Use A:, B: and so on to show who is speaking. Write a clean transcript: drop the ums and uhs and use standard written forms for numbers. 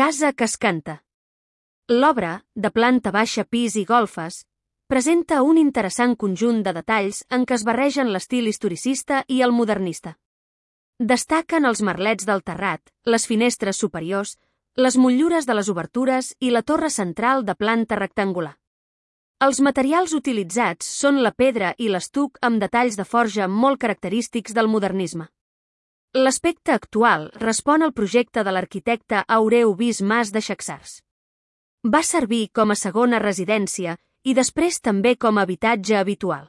A: Casa que es canta. L'obra, de planta baixa, pis i golfes, presenta un interessant conjunt de detalls en què es barregen l'estil historicista i el modernista. Destaquen els merlets del terrat, les finestres superiors, les motllures de les obertures i la torre central de planta rectangular. Els materials utilitzats són la pedra i l'estuc amb detalls de forja molt característics del modernisme. L'aspecte actual respon al projecte de l'arquitecte Aureu Bis Mas de Chaxars. Va servir com a segona residència i després també com a habitatge habitual.